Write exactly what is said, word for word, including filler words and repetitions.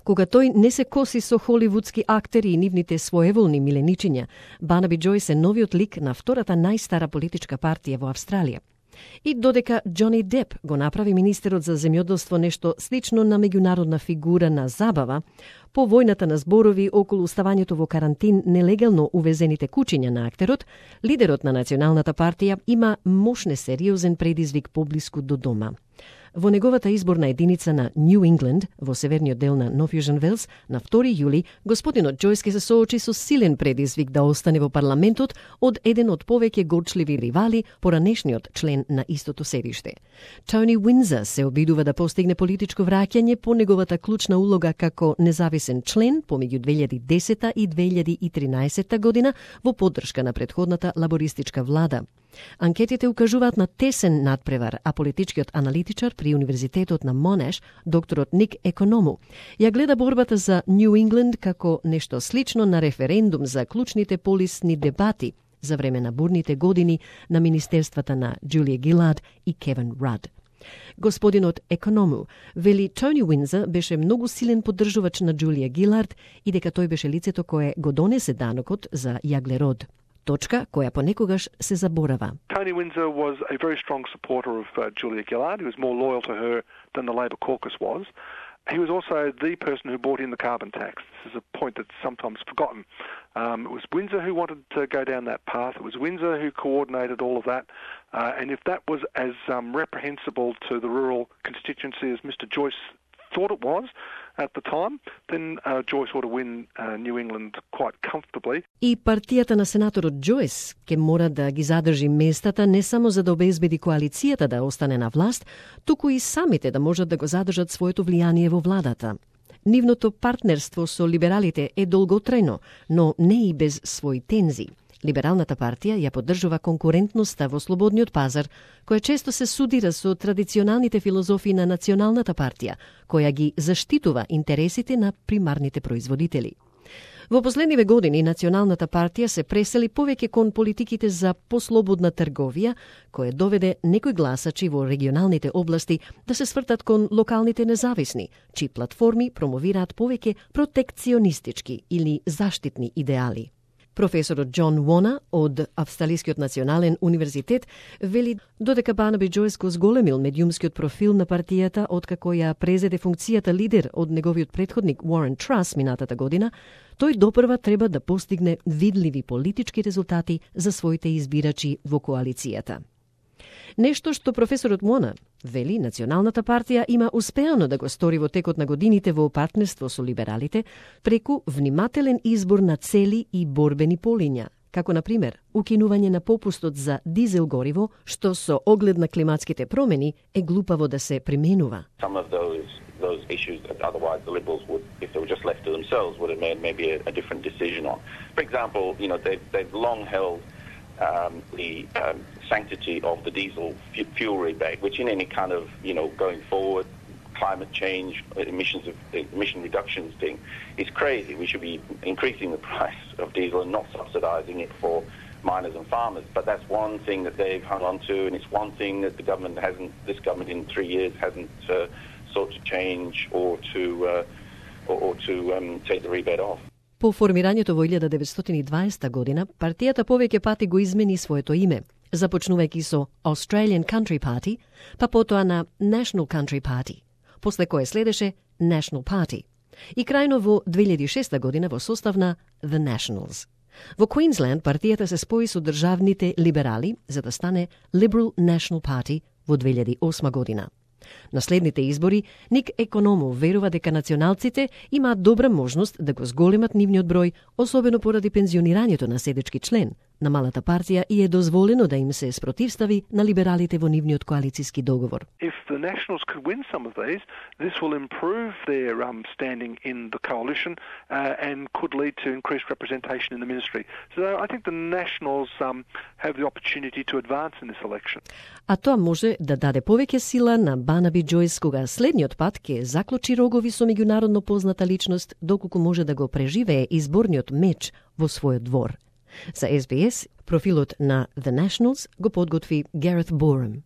Кога тој не се коси со холивудски актери и нивните своеволни миленичиња, Барнаби Џојс е новиот лик на втората најстара политичка партија во Австралија. И додека Џони Деп го направи министерот за земјоделство нешто слично на меѓународна фигура на забава, по војната на зборови околу ставањето во карантин нелегално увезените кучиња на актерот, лидерот на Националната партија има мощне сериозен предизвик поблиску до дома. Во неговата изборна единица на Нью Ингланд, во северниот дел на Нов Јужен Велс, на втори јули, господинот Џојс ке се соочи со силен предизвик да остане во парламентот од еден од повеќе горчливи ривали, поранешниот член на истото седиште. Тони Уинзер се обидува да постигне политичко враќање по неговата клучна улога како независен член помеѓу две илјади и десета и две илјади и тринаесетта година во поддршка на претходната лабористичка влада. Анкетите укажуваат на тесен надпревар, а политичкиот аналитичар при Универзитетот на Монеш, докторот Ник Економу, ја гледа борбата за Нью Ингланд како нешто слично на референдум за клучните полисни дебати за време на бурните години на министерствата на Джулија Гилард и Кевин Рад. Господинот Економу вели Тони Уинзер беше многу силен поддржувач на Джулија Гилард и дека тој беше лицето кое го донесе данокот за јаглерод. Точка која понекогаш се заборава. Tony Windsor was a very strong supporter of uh, Julia Gillard. He was more loyal to her than the Labor caucus was. He was also the person who brought in the carbon tax. This is a point that's sometimes forgotten. Um, it was Windsor who wanted to go down that path. It was Windsor who coordinated all of that. Uh, and if that was as um, reprehensible to the rural constituency as Mister Joyce thought it was at the time, then uh, Joyce ought to win uh, New England quite comfortably. И партијата на сенаторот Џојс ке мора да ги задржи местата не само за да обезбеди коалицијата да остане на власт, туку и самите да можат да го задржат своето влијание во владата. Нивното партнерство со либералите е долготрајно, но не и без своји тензи. Либералната партија ја поддржува конкурентноста во слободниот пазар, која често се судира со традиционалните филозофии на Националната партија, која ги заштитува интересите на примарните производители. Во последниве години Националната партија се пресели повеќе кон политиките за послободна трговија, која доведе некои гласачи во регионалните области да се свртат кон локалните независни, чии платформи промовираат повеќе протекционистички или заштитни идеали. Професорот Џон Вона од Австралискиот национален универзитет вели додека Барнаби Џојс го зголемил медиумскиот профил на партијата откако ја презеде функцијата лидер од неговиот претходник Уорен Трас минатата година, тој допрва треба да постигне видливи политички резултати за своите избирачи во коалицијата. Нешто што професорот Мона вели Националната партија има успеано да го стори во текот на годините во партнерство со либералите преку внимателен избор на цели и борбени полиња, како на пример укинување на попустот за дизел гориво, што со оглед на климатските промени е глупаво да се применува. Some of those those issues that otherwise the Liberals would, if they were just left to themselves, would have made maybe a, a different decision on. For example, you know, they've, they've long held um, the um, sanctity of the diesel fuel rebate, which in any kind of, you know, going forward, climate change, emissions of emission reductions thing is crazy. We should be increasing the price of diesel and not subsidising it for miners and farmers. But that's one thing that they've hung on to, and it's one thing that the government hasn't, this government in three years hasn't uh, sought to change or to uh, or, or to um, take the rebate off. По формирањето во илјада деветстотини и дваесетта година, партијата повеќе пати го измени своето име, започнувајќи со Australian Country Party, па потоа на National Country Party, после кое следеше National Party, и крајно во две илјади и шеста година во состав на The Nationals. Во Квинсленд партијата се спои со државните либерали за да стане Liberal National Party во две илјади и осма година. На следните избори, Ник Економу верува дека националците имаат добра можност да го зголемат нивниот број, особено поради пензионирањето на седечки член на малата партија и е дозволено да им се спротивстави на либералите во нивниот коалициски договор. If the Nationals could win some of these, this will improve their um, standing in the coalition uh, and could lead to increased representation in the ministry. So I think the Nationals um, have the opportunity to advance in this election. А тоа може да даде повеќе сила на Барнаби Џојс кога следниот пат ќе заклучи рогови со меѓународно позната личност доколку може да го преживее изборниот меч во својот двор. За Ес Би Ес, профилот на The Nationals го подготви Гарет Борем.